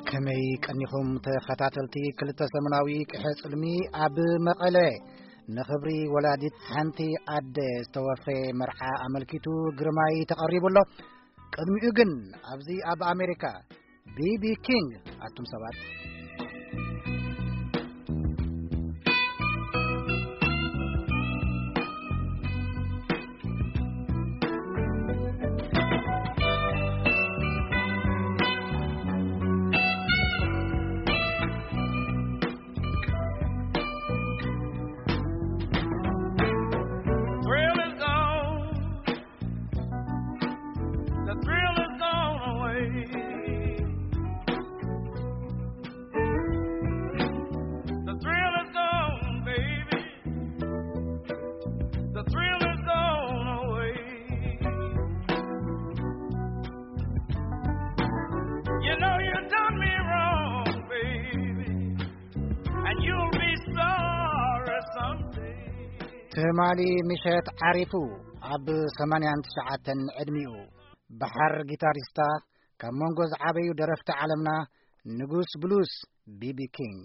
ከመይ ቀኒኹም ተኸታተልቲ ክልተ ሰሙናዊ ቅሐ ጽልሚ ኣብ መቐለ? ንኽብሪ ወላዲት ሓንቲ ኣደ ዝተወፈየ መርዓ ኣመልኪቱ ግርማይ ተቐሪቡ ኣሎ። ቅድሚኡ ግን ኣብዚ ኣብ ኣሜሪካ ቢቢ ኪንግ፣ ኣቱም ሰባት። Thrill is gone. The thrill is gone away. The thrill is gone, baby. The thrill is gone away. You know you done me wrong, baby, and you'll be sorry someday. ትማሊ ምሸት ዓሪፉ ኣብ ሰማንያን ትሽዓተን ዕድሚኡ ባሕር ጊታሪስታ፣ ካብ መንጎ ዝዓበዩ ደረፍቲ ዓለምና ንጉስ ብሉስ ቢቢ ኪንግ።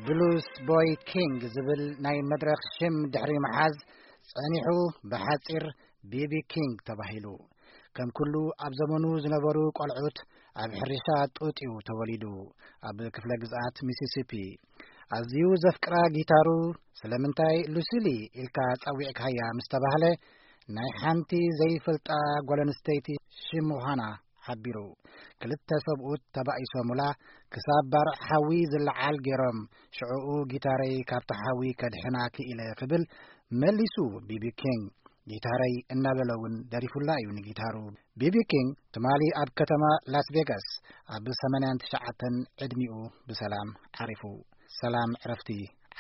ብሉስ ቦይ ኪንግ ዝብል ናይ መድረኽ ሽም ድሕሪ ምሓዝ ጸኒሑ፣ ብሓጺር ቢቢ ኪንግ ተባሂሉ። ከም ኩሉ ኣብ ዘመኑ ዝነበሩ ቆልዑት፣ ኣብ ሕርሻ ጡጥ እዩ ተወሊዱ፣ ኣብ ክፍለ ግዝኣት ሚሲሲፒ። ኣዝዩ ዘፍቅራ ጊታሩ፣ ስለምንታይ ሉሲሊ ኢልካ ጸዊዕካያ ምስ ተባህለ፣ ናይ ሓንቲ ዘይፈልጣ ጓል ኣንስተይቲ ሽም ምዃና ሓቢሩ። ክልተ ሰብኡት ተባኢሶምላ፣ ክሳብ ባርዕ ሓዊ ዝለዓል ገይሮም፣ ሽዕኡ ጊታረይ ካብቲ ሓዊ ከድሕና ክኢለ ክብል መሊሱ ቢቢ ኪንግ። ጊታረይ እናበለ እውን ደሪፉላ እዩ ንጊታሩ። ቢቢ ኪንግ ትማሊ ኣብ ከተማ ላስ ቬጋስ ኣብ ሰማንያን ትሽዓተን ዕድሚኡ ብሰላም ዓሪፉ። ሰላም ዕረፍቲ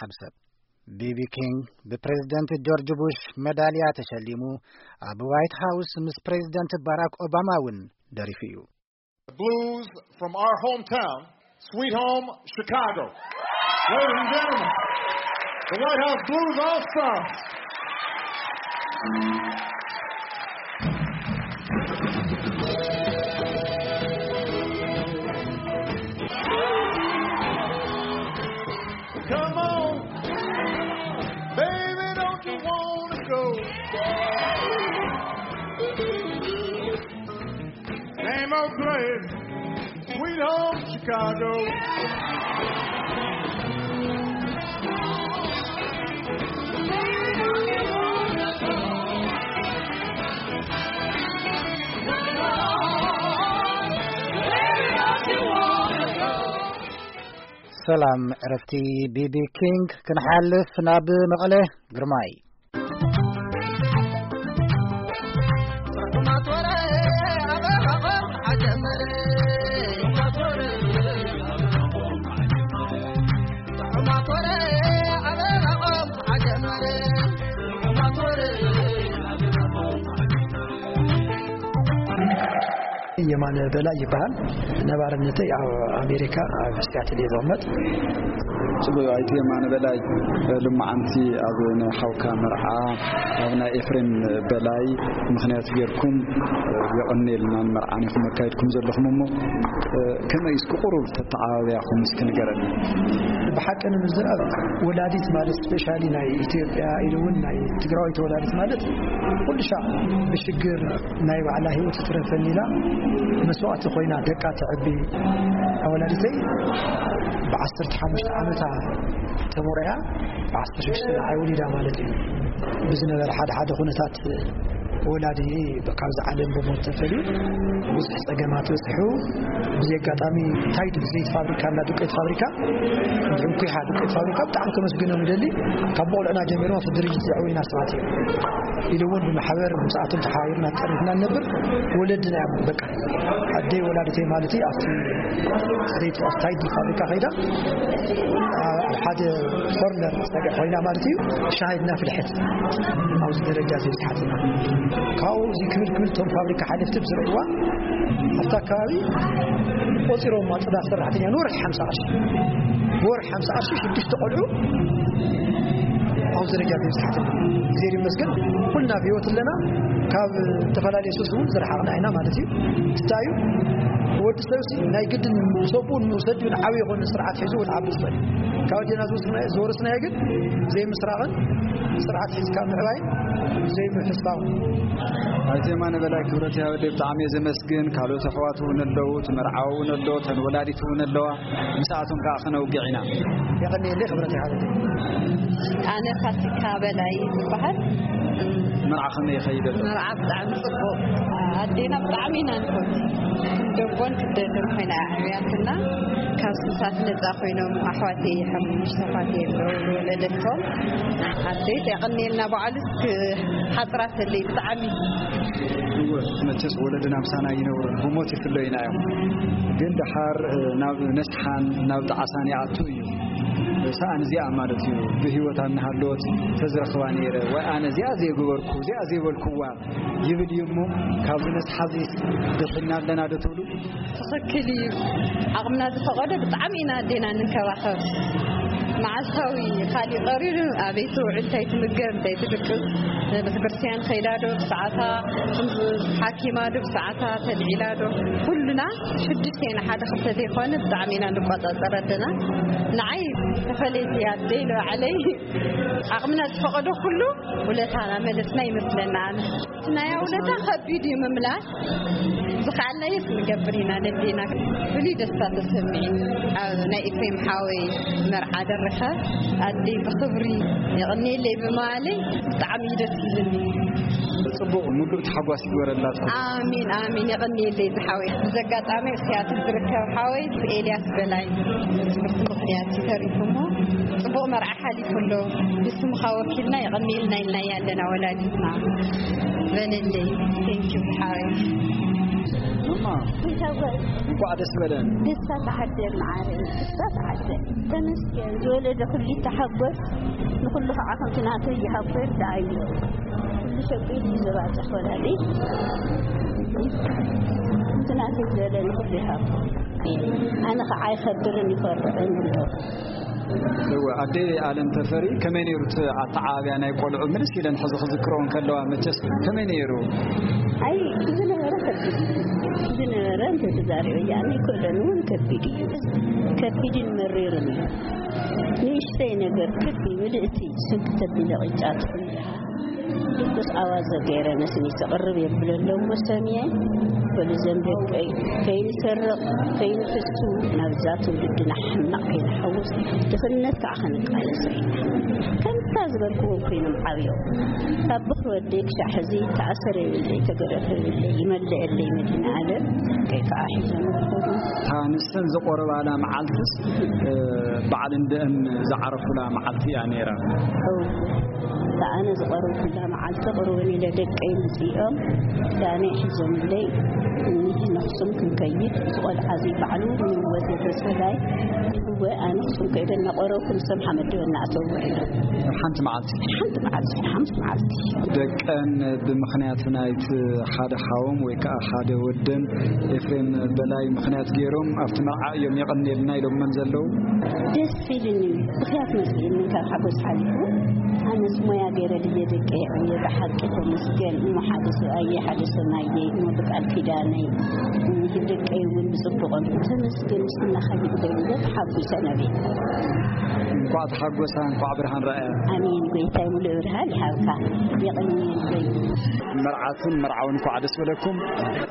ዓብ ሰብ። ቢቢ ኪንግ ብፕሬዝደንት ጆርጅ ቡሽ መዳልያ ተሸሊሙ፣ ኣብ ዋይት ሃውስ ምስ ፕሬዝደንት ባራክ ኦባማ እውን ደሪፉ እዩ። The blues from our hometown, Sweet Home Chicago. Ladies and gentlemen, the White House Blues All Stars. Come on, baby, don't you wanna go? Same old place, Sweet Home Chicago. ሰላም ዕረፍቲ ቢቢ ኪንግ። ክንሓልፍ ናብ መቐለ። ግርማይ። የማነ በላይ ይበሃል። ነባርነተይ ኣብ ኣሜሪካ፣ ኣብ ሲያትል እየ ዝቕመጥ። ጽቡቅ፣ ኣይተ የማነ በላይ፣ ልማዓንቲ ኣብ ናይ ሓውካ መርዓ፣ ኣብ ናይ ኤፍሬም በላይ ምኽንያት ጌርኩም፣ የቐንየልና፣ ንመርዓን ኢኹም ኣካይድኩም ዘለኹም እሞ፣ ከመይ እስኪ ቁሩብ ተተዓባብያኹም እስኪ ንገረኒ። ብሓቂ ንምዝራብ፣ ወላዲት ማለት ስፔሻሊ ናይ ኢትዮጵያ ኢሉ እውን ናይ ትግራዋይ ተወላዲት ማለት ኩሉ ሻዕ ብሽግር ናይ ባዕላ ህይወት ትረፈኒ ኢላ መስዋእቲ ኮይና ደቃ ተዕቢ ወላዲተይ ብዓሰርተ ሓሙሽተ ዓመታ ተመርዕያ ብ16 ንዓይ ወሊዳ ማለት እዩ። ብዝነበረ ሓደ ሓደ ኩነታት ወላዲ ካብዚ ዓለም ብሞት ተፈልዩ ብዙሕ ጸገማት በጽሑ። ብዚ ኣጋጣሚ ታይድ ብዘይቲ ፋብሪካ እና ዱቄት ፋብሪካ እንኩሓ ዱቄት ፋብሪካ ብጣዕሚ ከመስግኖም ይደሊ። ካብ ቦቕልዕና ጀሚሮም ኣብቲ ድርጅት ዘዕወዩና ሰባት እዮም። ኢሉ እውን ብማሕበር ምስኣቶም ተሓባቢርና ተጠሪፍና ንነብር ወለድና እዮም። በቃ ኣደይ ወላዲተይ ማለት እዩ ኣብቲ ዘይቲ ኣብቲ ታይድ ፋብሪካ ከይዳ ኣብ ሓደ ኮርነር ጸግዒ ኮይና ማለት እዩ ሻሂ እናፍልሐት ኣብዚ ደረጃ እዚ በጽሓትና። ካብኡ እዚ ክብል ክብል እቶም ፋብሪካ ሓለፍቲ ብዝርእይዋ ኣብቲ ኣካባቢ ቆጺሮም ጽዳት ሰራሕተኛ ንወርሒ ሓምሳ ቅርሺ፣ ወርሒ ሓምሳ ቅርሺ ሽዱሽተ ቆልዑ ኣብዚ ደረጃ እዚ በጽሓትና። እግዚኣብሔር ይመስገን ኩልና ብህይወት ኣለና። ካብ ዝተፈላለየ ሱስ እውን ዝረሓቕና ኢና ማለት እዩ። እንታይ እዩ ወዲ ሰብ ሲ ናይ ግድን ሰብኡን ንሰዲኡን ዓብዪ ይኾን ስርዓት ሒዙ እውን ዓቢ ዝኽእል ካብ ኣዴና ዝወስና- ዝወረስናዮ ግን ዘይምስራቕን ስርዓት ሒዝካ ምዕባይን ዘይምሕሳውን። ኣይተ የማነ በላይ ክብረት ያወደ ብጣዕሚ እየ ዘመስግን። ካልኦት ኣሕዋት እውን ኣለዉ፣ እቲ መርዓዊ እውን ኣሎ፣ እተን ወላዲት እውን ኣለዋ። ምስኣቶም ከዓ ክነውግዕ ኢና። የቐንየለይ ክብረት ይሃበለይ። ኣነ ፋሲካ በላይ ዝበሃል። መርዓ ከመይ ይኸይድ ኣሎ? መርዓ ብጣዕሚ ጽቡቕ። ኣዴና ብጣዕሚ ኢና ንፈቱ። ደቦን ክደልን ኮይና ኣዕብያትና። ካብ ሱሳት ነጻ ኮይኖም ኣሕዋተይ ሓሙሽተ ኣሕዋተይ ኣለዉ ዝወለደቶም። ኣደይ የቐንየልና በዓሉ ሓጽራተለይ ብጣዕሚ። እወ፣ መቸስ ወለድና ምሳና ይነብሩን ብሞት ይፍለዩና እዮም። ግን ደሓር፣ እ፣ ናብ ነስሓን ናብ ጣዕሳን ይኣቱ እዩ። ሰኣን እዚኣ ማለት እዩ፣ ብህይወት ኣናሃለወት ተዝረኽባ ነይረ፣ ወይ ኣነ እዚኣ ዘይገበርኩ፣ እዚኣ ዘይበልኩዋ ይብል እዩ እሞ፣ ካብዚ ነስሓ እዚ ድሒና ኣለና ዶ ትብሉ? ትኽክል እዩ። ዓቕምና ዝፈቐዶ ብጣዕሚ ኢና ኣዴና ንንከባኸብ። መዓልታዊ ካሊእ ቀሪሩ ኣበይ ትውዕል፣ እንታይ ትምገብ፣ እንታይ ትድቅስ፣ ቤተክርስትያን ከይዳ ዶ ብሰዓታ፣ ሓኪማ ዶ ብሰዓታ፣ ተልዒላ ዶ፣ ኩሉና ሽዱሽተ ኢና፣ ሓደ ክልተ ዘይኮነ ብጣዕሚ ኢና ንቆጻጸር ኣለና። ንዓይ ተፈለይቲ ኣደይ ንባዕለይ ዓቕምና ዝፈቐዶ ኩሉ ውለታና መለስና ይመስለና። ኣነ እቲ ናይ ውለታ ከቢድ እዩ ምምላስ። ዝኸኣልናዮስ ንገብር ኢና ነዴና። ፍሉይ ደስታ ተሰሚዕኒ ኣብ ናይ ኤፍሬም ሓወይ መርዓ ደርኸ ኣደይ ብኽብሪ የቐንየለይ ብምባለይ ብጣዕሚ እዩ ደስ ዝብልኒ። ጽቡቕ፣ ምሉእ ተሓጓስ ይግበረላትኩም። ኣሚን፣ ኣሚን። የቐንየለይ ዝሓወይ። ብዘጋጣሚ ኣብ ሲያትል ዝርከብ ሓወይ ኤልያስ በላይ ትምህርቲ ምኽንያት እዩ ተሪፉ እሞ ጽቡቕ መርዓ ሓሊፉ ኣሎ። ብስምኻ ወኪልና የቐንየልና ኢልና ኣለና ወላዲትና። በለለይ። ቴንኪዩ ሓወይ። እማ፣ እንኳዕ ደስ በለን። ደስታ ተዓደል መዓረይ፣ ደስታ ተዓደል። ተመስገን። ዝወለደ ኩሉ ይተሓጎስ፣ ንኹሉ ከዓ ከምቲ ናተይ ይሃቦ ይርድኣዮ። ኩሉ ሸቂሉ እዩ ዘባፅሕ ወላዲ። ከምቲ ናተይ ዝበለ ንኹሉ ይሃቦ። ኣነ ከዓ ኣይኸብርን ይፈርዕን ኣለኹ። እወ፣ ኣደ ኣለም ተፈሪ፣ ከመይ ነይሩ እቲ ኣተዓባብያ ናይ ቆልዑ? ምልስ ኢለን ሕዚ ክዝክረኦ እንከለዋ መቸስ ከመይ ነይሩ? ኣይ፣ ዝነበረ ከቢድ እዩ። ዝነበረ እንተተዛሪበ እያ፣ ኣይክእሎን እውን ከቢድ እዩ። ከቢድን መሪርን እዩ። ንእሽተይ ነገር ክቢ ምልእቲ ስንኪ ተቢለ ቂጫ ትኹን ኢልሃ። ድቁስ ኣዋዘ ገይረ ነስኒ ተቕርብ የብለሎም መሰምየ። በሉ ዘም ደቀይ ከይንሰርቕ፣ ከይንፍሱ፣ ናብዛ ትውልድና ሕማቕ ከይንሓውስ፣ ድኽነት ከዓ ክንቃለሶ ኢና። ከምታ ዝበልክዎም ኮይኖም ዓብዮም። ካብ ብኽሪ ወደይ ክሻዕ ሕዚ ተኣሰረ የብለይ፣ ተገረፈ የብለይ፣ ይመልአለይ መድኃኔ ዓለም። ከይ ከዓ ሒዞም ይኸዱ። እታ ንሰን ዝቆረባላ መዓልትስ፣ እ፣ በዓል እንደእን ዝዓረፉላ መዓልቲ እያ ነይራ። እው። እታ ኣነ ዝቆረብኩላ መዓልቲ ቅርብን ኢለ ደቀይ ምፅኦም ዳነይ ሒዞምለይ፣ እኒህ ነኽሱም ክንከይድ፣ እዚ ቆልዓ እዚ ባዕሉ ንህይወት የተስፈላይ፣ እወ፣ ኣነ ኣኽሱም ከይደ እናቆረብኩ ንሶም ሓመድ እናእተዉ ውዒሎም። ሓንቲ መዓልቲ? ሓንቲ መዓልቲ፣ ሓንቲ መዓልቲ። ደቀን ብምኽንያት ናይቲ ሓደ ሓዎም ወይ ከዓ ሓደ ወደን ኤፍሬም በላይ ምኽንያት ገይሮም ኣብቲ መርዓ እዮም የቐንየልና ኢሎመን ዘለዉ። ደስ ኢሉኒ፣ ብኽያት መፅእኒ ካብ ሓጎስ ሓሊፉ። ኣነስ ሞያ ገይረ ድየ ደቀ የዕብየ፣ ብሓቂ ተመስገን። እሞ ሓደ ሰብኣየ፣ ሓደ ሰማየ፣ እሞ ብቃል ኪዳነይ፣ እኒህ ደቀይ እውን ብፅቡቖም። ተመስገን፣ ምስናኻ ይግበሩ፣ ተሓጒሰ ነብየ። እንኳዕ ተሓጎሳ፣ እንኳዕ ብርሃን ረኣያ። ኣሜን። ጎይታይ ሙሉእ ብርሃን ይሃብካ። የቐንየለይ። መርዓትን መርዓውን እንኳዕ ደስ በለኩም።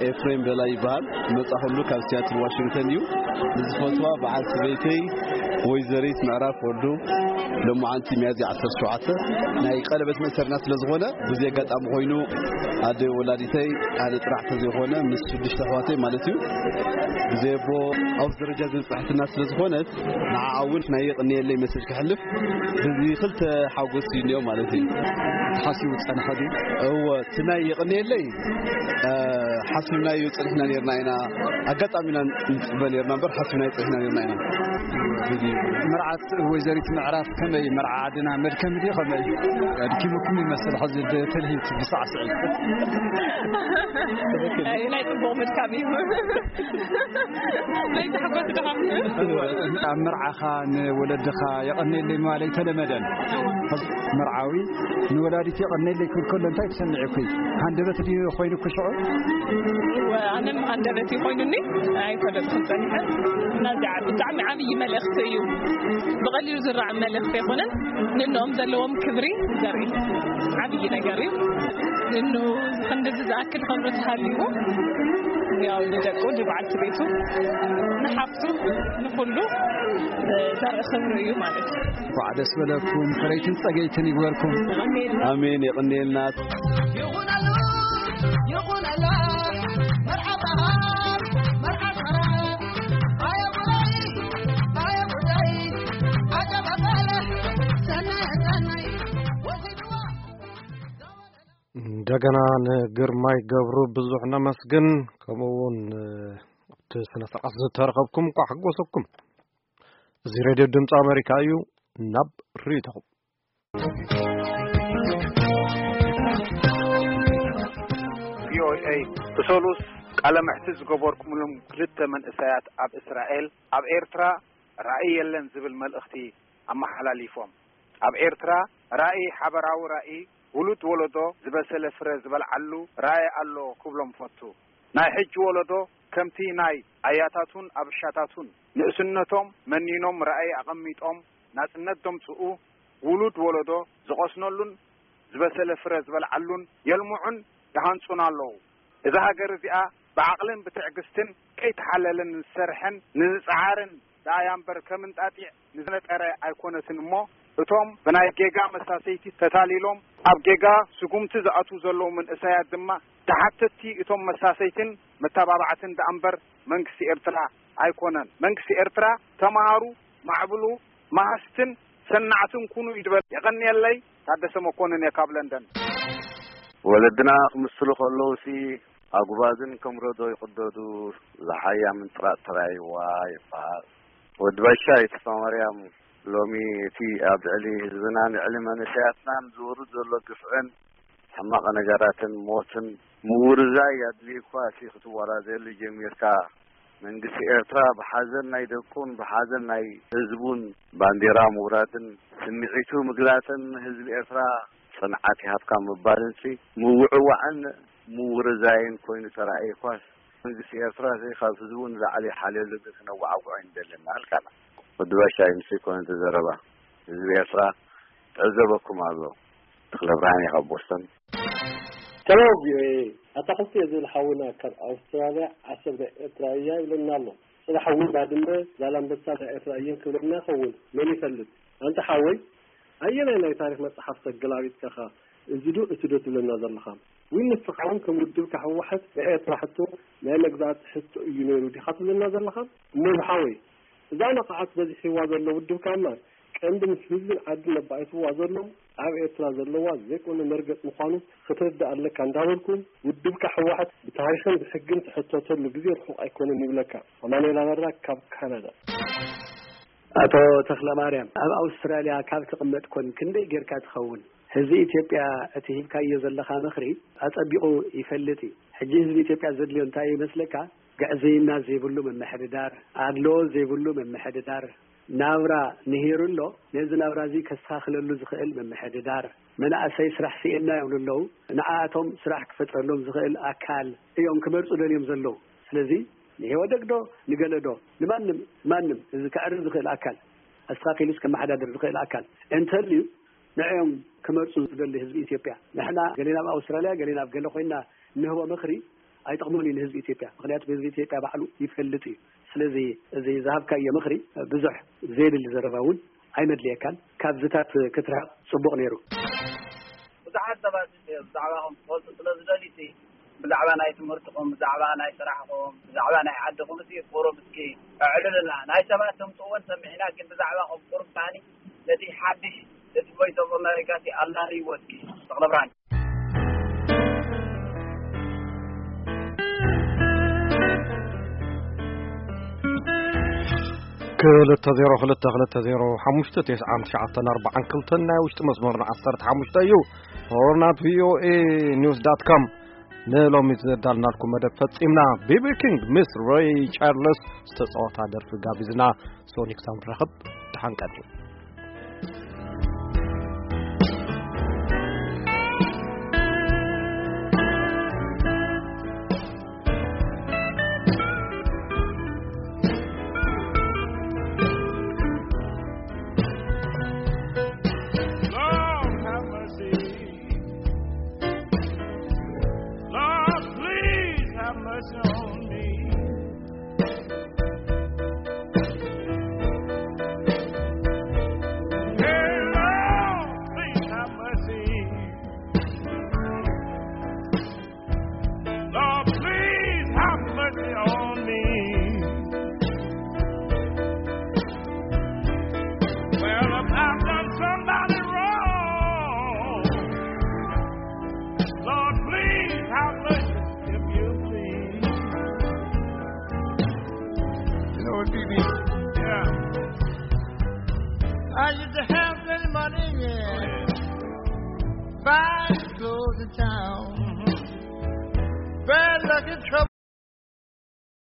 ኤፍሬም በላይ ይበሃል። መጻኹሉ ካብ ሲያትል ዋሽንግተን እዩ። ንዝፈትዋ በዓል ሰበይተይ ወይዘሪት ምዕራፍ ወልዱ፣ ሎማዓንቲ ሚያዝያ ዓሰርተ ሸውዓተ ናይ ቀለበት መእሰርና ስለ ዝኾነ፣ በዚ ኣጋጣሚ ኮይኑ ኣደ ወላዲተይ ኣነ ጥራሕ ተዘይኮነ ምስ ሽዱሽተ ኣሕዋተይ ማለት እዩ፣ ብዘይ ኣቦ ኣብዚ ደረጃ ዝበፅሐትና ስለ ዝኾነት፣ ንዓኣ እውን ናይ የቕንየለይ መሰጅ ከሕልፍ፣ እዚ ክልተ ሓጎስ እዩ እኒኦ ማለት እዩ። ተሓሲቡ ዝጸንሐ ድዩ? እወ፣ እቲ ናይ የቕንየለይ፣ እ፣ ሓሲብናዮ ጸኒሕና ነርና ኢና። ኣጋጣሚ ኢና ንጽበ ነርና እምበር፣ ሓሲብናዮ ጸኒሕና ነርና ኢና። እዚ እዩ። መርዓት ወይዘሪት ምዕራፍ ከመይ? መርዓ ዓድና መድከሚ ድዩ ከመይ? ኣድኪሙኩም ይመስል ሕዚ ብትልሂት ብሳዕስዒት። ኣይ፣ ናይ ጽቡቕ ምድካም እዩ። ናይ ታሕጓስ ድኻም እዩ። ኣብ መርዓኻ ንወለድኻ የቐንየለይ ምባል ኣይተለመደን። እወ። መርዓዊ ንወላዲት የቐንየለይ ክብል ከሎ እንታይ ተሰሚዑኪ? ሃንደበት ድዩ ኮይኑኪ ሽዑ? እወ፣ ኣነ ሃንደበት እዩ ኮይኑኒ። ኣይፈለጥኩን ጸኒሐ። እና እዚ ዓ-፣ ብጣዕሚ ዓብዪ መልእኽቲ እዩ። ብቐሊሉ ዝረኣም መልእኽቲ ኣይኮነን። ንእንኦም ዘለዎም ክብሪ ዘርኢ ዓብዪ ነገር እዩ። ንእኑ ክንድዚ ዝኣክል ክብሪ ተሃልይዎ፣ ያው ንደቁ፣ ንበዓልቲ ቤቱ፣ ንሓፍቱ፣ ንኹሉ፣ እ፣ ዘርኢ ክብሪ እዩ ማለት እዩ። እንኳዕ ደስ በለኩም፣ ፍረይትን ጸገይትን ይግበርኩም። ኣሜን። ኣሜን፣ የቕንየልና። ይኹነሉ፣ ይኹነላ፣ መርዓታ፣ መርዓታ፣ ኣየ ጉዳይ፣ ኣየ ጉዳይ፣ ዓጀብ ኣበለ፣ ሰናይ፣ ሰናይ፣ ወሲድዋ። እንደገና ንግርማይ ገብሩ ብዙሕ ነመስግን። ከምኡ እውን፣ እ፣ ኣብቲ ስነ ስርዓት ዝተረኸብኩም እንኳዕ ሓጎሰኩም። እዚ ሬድዮ ድምፂ ኣሜሪካ እዩ። ናብ ርእይቶኹም። ቪኦኤ ብሰሉስ ቃለ መሕትት ዝገበርኩምሎም ክልተ መንእሰያት ኣብ እስራኤል፣ ኣብ ኤርትራ ራእይ የለን ዝብል መልእኽቲ ኣመሓላሊፎም። ኣብ ኤርትራ ራእይ፣ ሓበራዊ ራእይ፣ ውሉድ ወለዶ ዝበሰለ ፍረ ዝበልዓሉ ራእይ ኣሎ ክብሎም ፈቱ። ናይ ሕጂ ወለዶ ከምቲ ናይ ኣያታቱን ኣብሻታቱን ንእስነቶም መኒኖም ራእይ ኣቐሚጦም ናጽነት ዘምጽኡ፣ ውሉድ ወለዶ ዝቐስነሉን ዝበሰለ ፍረ ዝበልዓሉን የልምዑን ይሃንጹን ኣለዉ። እዛ ሃገር እዚኣ ብዓቕልን ብትዕግስትን ከይተሓለለን ንዝሰርሐን ንዝጸዓርን ደኣ እያ እምበር፣ ከም እንጣጢዕ ንዝነጠረ ኣይኮነትን እሞ፣ እቶም ብናይ ጌጋ መሳሰይቲ ተታሊሎም ኣብ ጌጋ ስጉምቲ ዝኣትዉ ዘለዉ መንእሰያት ድማ ተሓተትቲ እቶም መሳሰይትን መተባባዕትን ደኣ እምበር መንግስቲ ኤርትራ ኣይኮነን። መንግስቲ ኤርትራ ተማሃሩ፣ ማዕብሉ፣ መሃዝትን ሰናዕትን ኩኑ ይድበል። የቐንየለይ። ታደሰ መኮንን እየ ካብ ለንደን። ወለድና ክምስሉ ከለውሲ ኣጉባዝን ከም ረዶ ይቕደዱ፣ ዝሓያ ምንጥራጥ ተራይዋ ይበሃል። ወዲ ባሻይ ተስፋማርያም፣ ሎሚ እቲ ኣብ ልዕሊ ህዝብናን ልዕሊ መንእሰያትናን ዝወርድ ዘሎ ግፍዕን ሕማቕ ነገራትን ሞትን ምውርዛይ ኣድልዩ እኳ እቲ ክትወራዘየሉ ጀሚርካ፣ መንግስቲ ኤርትራ ብሓዘን ናይ ደቁን ብሓዘን ናይ ህዝቡን ባንዴራ ምውራድን ስምዒቱ ምግላጽን ንህዝቢ ኤርትራ ጽንዓት ይሃብካ ምባልን ሲ ምውዕዋዕን ምውርዛይን ኮይኑ ተራእየ እኳስ፣ መንግስቲ ኤርትራ ሲ ካብ ህዝቡ ንላዕሊ ሓልዮሉ ግን ክነወዓውዖ ኣይንደልን ኣልካና። ወዲ ባሻይ፣ ንሱ ይኮነ እቲ ዘረባ። ህዝቢ ኤርትራ ትዕዘበኩም ኣሎ። ተኽለ ብርሃን እየ ካብ ቦስተን። ሰላም ቪኦኤ፣ ኣታ ክልተ ዝብል ሓውና ካብ ኣውስትራልያ፣ ዓሰብ ናይ ኤርትራ እያ ይብለና ኣሎ። ጽባሕ እውን ባድመ ዛላምበሳ ናይ ኤርትራ እየን ክብለና ይኸውን፣ መን ይፈልጥ? ኣንታ ሓወይ፣ ኣየናይ ናይ ታሪኽ መጽሓፍ ተገላቢጥካ ኢኻ እዚ ዶ እቲ ዶ ትብለና ዘለኻ? ወይ ንስኻ እውን ከም ውድብካ ህወሓት ናይ ኤርትራ ሕቶ ናይ መግዛእቲ ሕቶ እዩ ነይሩ ዲኻ ትብለና ዘለኻ? እሞ ዝሓወይ፣ እዛ ነቓዓት በዚሕዋ ዘሎ ውድብካ እምበር፣ ቀንዲ ምስ ህዝብን ዓድን ኣባኢስዋ ዘሎ ኣብ ኤርትራ ዘለዋ ዘይኮነ መርገጽ ምዃኑ ክትርዳእ ኣለካ እንዳበልኩ፣ ውድብካ ህወሓት ብታሪኽን ብሕግን ትሕተተሉ ግዜ ርሑቕ ኣይኮነን ይብለካ። ኣማኑኤል ኣበራ ካብ ካናዳ። ኣቶ ተኽለማርያም፣ ኣብ ኣውስትራልያ ካብ ትቕመጥ ኮን ክንደይ ጌርካ ትኸውን? ህዝቢ ኢትዮጵያ እቲ ሂብካዮ ዘለኻ ምኽሪ ኣጸቢቑ ይፈልጥ እዩ። ሕጂ ህዝቢ ኢትዮጵያ ዘድልዮ እንታይ እዩ ይመስለካ? ግዕዝይና ዘይብሉ ምምሕድዳር፣ ኣድልዎ ዘይብሉ ምምሕድዳር፣ ናብራ ንሂሩ ኣሎ፣ ነዚ ናብራ እዚ ከስተኻኽለሉ ዝኽእል ምምሕድዳር፣ መናእሰይ ስራሕ ስኢንና ይብሉ ኣለዉ፣ ንዓኣቶም ስራሕ ክፈጥረሎም ዝኽእል ኣካል እዮም ክመርጹ ደልዮም ዘለዉ። ስለዚ ንኢህወደግ ዶ ንገለ ዶ ንማንም፣ ማንም እዚ ከዕርፍ ዝኽእል ኣካል፣ ኣስተኻኺሉስ ከመሓዳድር ዝኽእል ኣካል እንተልዩ ንዕኦም ክመርጹ ዝደሊ ህዝቢ ኢትዮጵያ። ንሕና ገሌና ኣብ ኣውስትራልያ፣ ገሌና ኣብ ገለ ኮይንና እንህቦ ምኽሪ ኣይጠቕሞን እዩ ንህዝቢ ኢትዮጵያ። ምኽንያቱ ህዝቢ ኢትዮጵያ ባዕሉ ይፈልጥ እዩ። ስለዚ እዚ ዝሃብካዮ ምኽሪ ብዙሕ ዘይብል ዘረባ እውን ኣይመድልየካን። ካብዝታት ክትርሕቕ ጽቡቕ ነይሩ። ብዙሓት ሰባት ብዛዕባኹም ክፈልጡ ስለ ዝደልዩ፣ ብዛዕባ ናይ ትምህርትኹም፣ ብዛዕባ ናይ ስራሕኹም፣ ብዛዕባ ናይ ዓድኹም እስኪ ቁሩብ እስኪ ኣዕልልና። ናይ ሰባት ተምፅእዎን ሰሚዕና፣ ግን ብዛዕባኹም ቁሩብ ከዓኒ ነቲ ሓድሽ፣ እቲ ቮይስ ኦፍ ኣሜሪካ እቲ ኣላልይዎ እስኪ። ተኽለ ብርሃን። ክልተ ዜሮ ክልተ ክልተ ዜሮ ሓሙሽተ ተስዓን ትሽዓተን ኣርባዓን ክልተን ናይ ውሽጢ መስመርና ዓሰርተ ሓሙሽተ እዩ። ሆርናት ቪኦኤ ኒውስ ዳት ኮም። ንሎሚ ዘዳልናልኩም መደብ ፈጺምና። ቢቢ ኪንግ ምስ ሬይ ቻርልስ ዝተጻወታ ደርፊ ጋቢዝና። ሶኒክ ሳም ረኽብ ድሓን ቀኒ። Lord, have mercy. Lord, please have mercy on me. Hey, Lord, please have mercy. Lord, please have mercy on me. Well, if I've done somebody wrong, Lord, please have mercy if you please. You know what, B B? Yeah. I used to have plenty money, yeah. Buy clothes in town. Bad luck and trouble.